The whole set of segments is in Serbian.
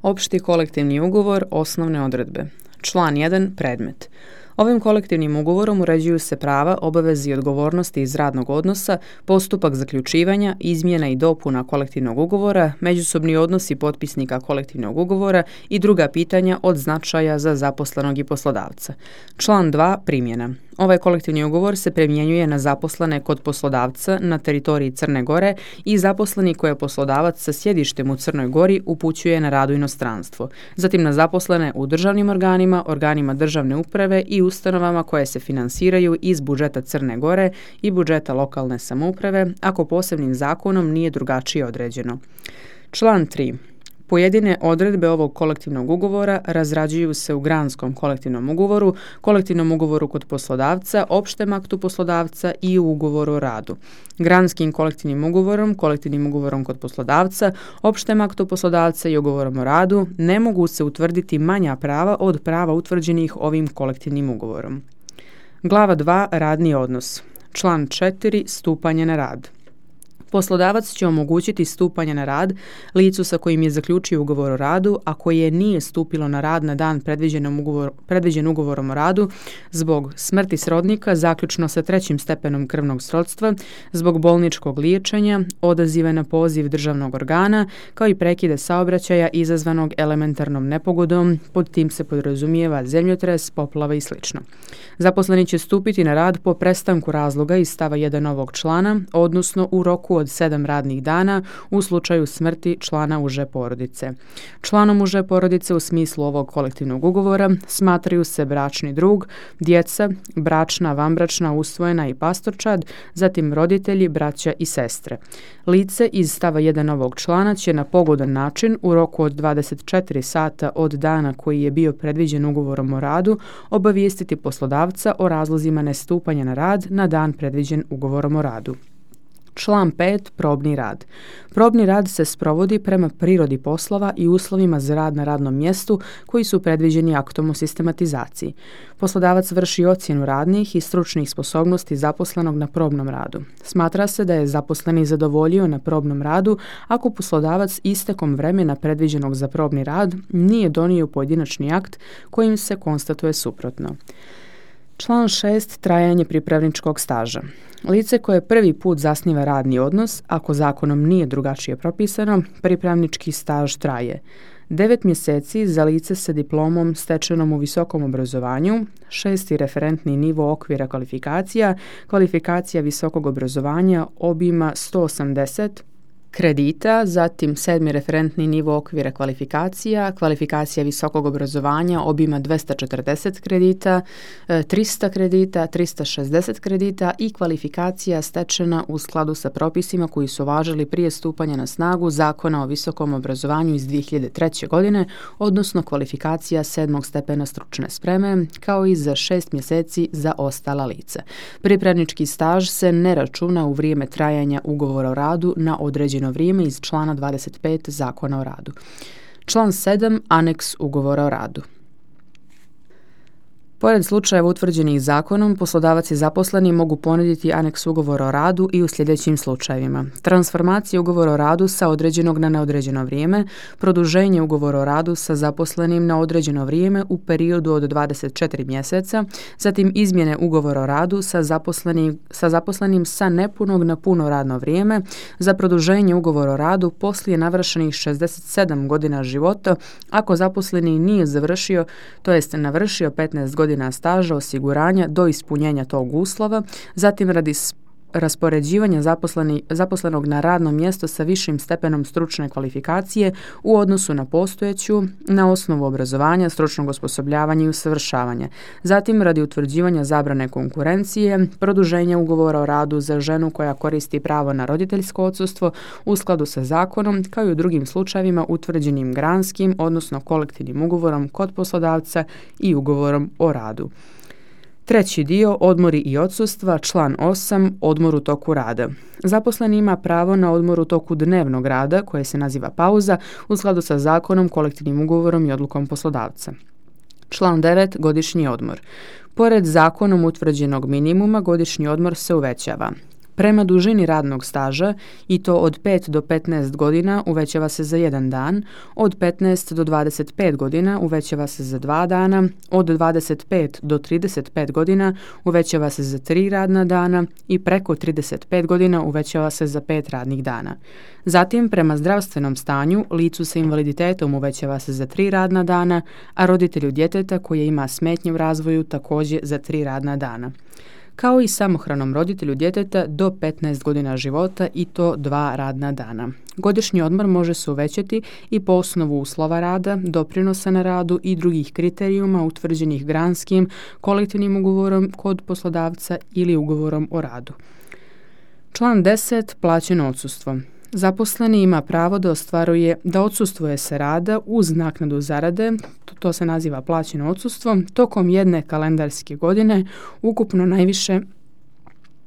Opšti kolektivni ugovor, osnovne odredbe. Član 1. Predmet. Ovim kolektivnim ugovorom uređuju se prava, obaveze i odgovornosti iz radnog odnosa, postupak zaključivanja, izmjena i dopuna kolektivnog ugovora, međusobni odnosi potpisnika kolektivnog ugovora i druga pitanja od značaja za zaposlenog i poslodavca. Član 2. Primjena. Ovaj kolektivni ugovor se primjenjuje na zaposlene kod poslodavca na teritoriji Crne Gore i zaposleni koje poslodavac sa sjedištem u Crnoj Gori upućuje na rad u inostranstvo. Zatim na zaposlene u državnim organima, organima državne uprave i ustanovama koje se finansiraju iz budžeta Crne Gore i budžeta lokalne samouprave, ako posebnim zakonom nije drugačije određeno. Član 3. Pojedine odredbe ovog kolektivnog ugovora razrađuju se u granskom kolektivnom ugovoru kod poslodavca, opštem aktu poslodavca i u ugovoru o radu. Granskim kolektivnim ugovorom kod poslodavca, opštem aktu poslodavca i ugovorom o radu ne mogu se utvrditi manja prava od prava utvrđenih ovim kolektivnim ugovorom. Glava 2. Radni odnos. Član 4. Stupanje na rad. Poslodavac će omogućiti stupanje na rad licu sa kojim je zaključio ugovor o radu, a koje nije stupilo na rad na dan predviđen ugovorom o radu zbog smrti srodnika, zaključno sa 3. stepenom krvnog srodstva, zbog bolničkog liječenja, odaziva na poziv državnog organa, kao i prekide saobraćaja izazvanog elementarnom nepogodom, pod tim se podrazumijeva zemljotres, poplava i sl. Zaposleni će stupiti na rad po prestanku razloga iz stava 1 ovog člana, odnosno u roku od 7 radnih dana u slučaju smrti člana uže porodice. Članom uže porodice u smislu ovog kolektivnog ugovora smatraju se bračni drug, djeca, bračna, vanbračna, usvojena i pastorčad, zatim roditelji, braća i sestre. Lice iz stava 1 ovog člana će na pogodan način u roku od 24 sata od dana koji je bio predviđen ugovorom o radu obavijestiti poslodavca o razlozima nestupanja na rad na dan predviđen ugovorom o radu. Član 5. Probni rad. Probni rad se sprovodi prema prirodi poslova i uslovima za rad na radnom mjestu koji su predviđeni aktom o sistematizaciji. Poslodavac vrši ocjenu radnih i stručnih sposobnosti zaposlenog na probnom radu. Smatra se da je zaposleni zadovoljio na probnom radu ako poslodavac istekom vremena predviđenog za probni rad nije donio pojedinačni akt kojim se konstatuje suprotno. Član 6. Trajanje pripravničkog staža. Lice koje prvi put zasniva radni odnos, ako zakonom nije drugačije propisano, pripravnički staž traje 9 mjeseci za lice sa diplomom stečenom u visokom obrazovanju, 6. referentni nivo okvira kvalifikacija visokog obrazovanja obima 180 kredita, zatim 7. referentni nivo okvira kvalifikacija visokog obrazovanja obima 240 kredita, 300 kredita, 360 kredita i kvalifikacija stečena u skladu sa propisima koji su važili prije stupanja na snagu Zakona o visokom obrazovanju iz 2003. godine, odnosno kvalifikacija 7. stepena stručne spreme, kao i za 6 mjeseci za ostala lica. Pripravnički staž se ne računa u vrijeme trajanja ugovora o radu na određeno vrijeme iz člana 25 Zakona o radu. Član 7. Aneks ugovora o radu. Pored slučajeva utvrđenih zakonom, poslodavac i zaposleni mogu ponuditi aneks ugovora o radu i u sljedećim slučajevima: transformacija ugovora o radu sa određenog na neodređeno vrijeme, produženje ugovora o radu sa zaposlenim na određeno vrijeme u periodu od 24 mjeseca, zatim izmjene ugovora o radu sa zaposlenim sa nepunog na puno radno vrijeme, za produženje ugovora o radu poslije navršenih 67 godina života ako zaposleni nije završio, to jest navršio 15 godina staža osiguranja do ispunjenja tog uslova, zatim radi raspoređivanja zaposlenog na radno mjesto sa višim stepenom stručne kvalifikacije u odnosu na postojeću na osnovu obrazovanja, stručnog osposobljavanja i usavršavanja. Zatim radi utvrđivanja zabrane konkurencije, produženja ugovora o radu za ženu koja koristi pravo na roditeljsko odsustvo u skladu sa zakonom, kao i u drugim slučajevima utvrđenim granskim, odnosno kolektivnim ugovorom kod poslodavca i ugovorom o radu. Treći dio, odmori i odsustva, član 8, odmor u toku rada. Zaposleni ima pravo na odmor u toku dnevnog rada, koje se naziva pauza, u skladu sa zakonom, kolektivnim ugovorom i odlukom poslodavca. Član 9, godišnji odmor. Pored zakonom utvrđenog minimuma, godišnji odmor se uvećava. Prema dužini radnog staža, i to od 5 do 15 godina, uvećava se za 1 dan, od 15 do 25 godina uvećava se za 2 dana, od 25 do 35 godina uvećava se za 3 radna dana i preko 35 godina uvećava se za 5 radnih dana. Zatim, prema zdravstvenom stanju, licu sa invaliditetom uvećava se za 3 radna dana, a roditelju djeteta koje ima smetnje u razvoju također za 3 radna dana. Kao i samohranom roditelju djeteta do 15 godina života i to 2 radna dana. Godišnji odmor može se uvećati i po osnovu uslova rada, doprinosa na radu i drugih kriterijuma utvrđenih granskim, kolektivnim ugovorom kod poslodavca ili ugovorom o radu. Član 10. Plaćeno odsustvo. Zaposleni ima pravo da odsustvuje sa rada uz naknadu zarade, to se naziva plaćeno odsustvo, tokom jedne kalendarske godine, ukupno najviše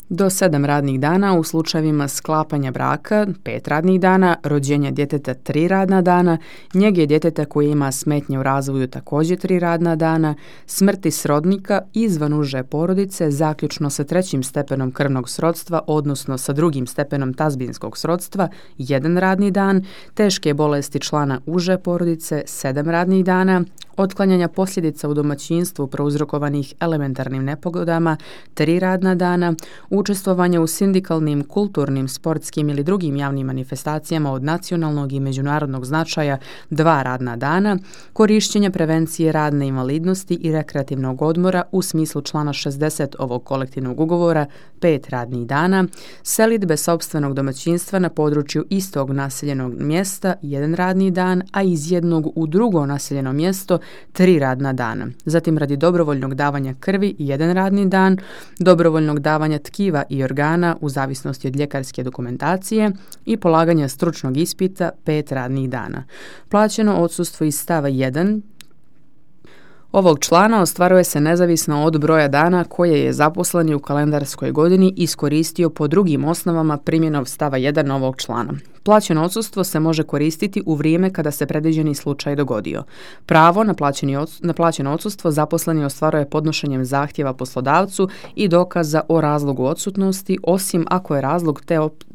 do 7 radnih dana u slučajevima sklapanja braka, 5 radnih dana, rođenja djeteta 3 radna dana, njege djeteta koje ima smetnje u razvoju također 3 radna dana, smrti srodnika izvan uže porodice, zaključno sa 3. stepenom krvnog srodstva, odnosno sa 2. stepenom tazbinskog srodstva, 1 radni dan, teške bolesti člana uže porodice, 7 radnih dana, otklanjanja posljedica u domaćinstvu prouzrokovanih elementarnim nepogodama, 3 radna dana, učestvovanje u sindikalnim, kulturnim, sportskim ili drugim javnim manifestacijama od nacionalnog i međunarodnog značaja, 2 radna dana, korišćenje prevencije radne invalidnosti i rekreativnog odmora u smislu člana 60 ovog kolektivnog ugovora, 5 radnih dana, selidbe sopstvenog domaćinstva na području istog naseljenog mjesta, 1 radni dan, a iz jednog u drugo naseljeno mjesto 3 radna dana. Zatim radi dobrovoljnog davanja krvi 1 radni dan, dobrovoljnog davanja tkiva i organa u zavisnosti od ljekarske dokumentacije i polaganja stručnog ispita 5 radnih dana. Plaćeno odsustvo iz stava 1 ovog člana ostvaruje se nezavisno od broja dana koje je zaposleni u kalendarskoj godini iskoristio po drugim osnovama primjenom stava 1 ovog člana. Plaćeno odsustvo se može koristiti u vrijeme kada se predviđeni slučaj dogodio. Pravo na plaćeno odsustvo zaposleni ostvaruje podnošenjem zahtjeva poslodavcu i dokaza o razlogu odsutnosti, osim ako je razlog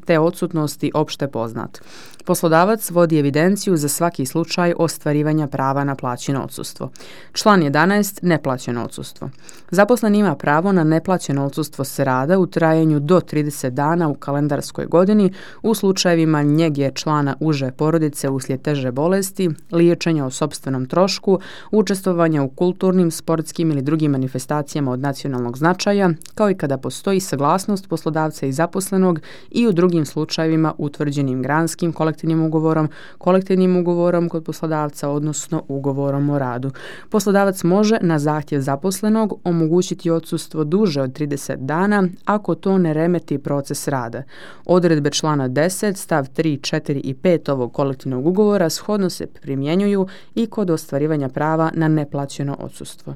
te odsutnosti opšte poznat. Poslodavac vodi evidenciju za svaki slučaj ostvarivanja prava na plaćeno odsustvo. Član 11. Neplaćeno odsustvo. Zaposleni ima pravo na neplaćeno odsustvo s rada u trajanju do 30 dana u kalendarskoj godini u slučajevima njege člana uže porodice uslijed teže bolesti, liječenja o sopstvenom trošku, učestvovanja u kulturnim, sportskim ili drugim manifestacijama od nacionalnog značaja, kao i kada postoji saglasnost poslodavca i zaposlenog i u drugim slučajevima utvrđenim granskim kolektivnim ugovorom kod poslodavca, odnosno ugovorom o radu. Poslodavac može na zahtjev zaposlenog omogućiti odsustvo duže od 30 dana ako to ne remeti proces rada. Odredbe člana 10, stav 3, 4 i 5 ovog kolektivnog ugovora shodno se primjenjuju i kod ostvarivanja prava na neplaćeno odsustvo.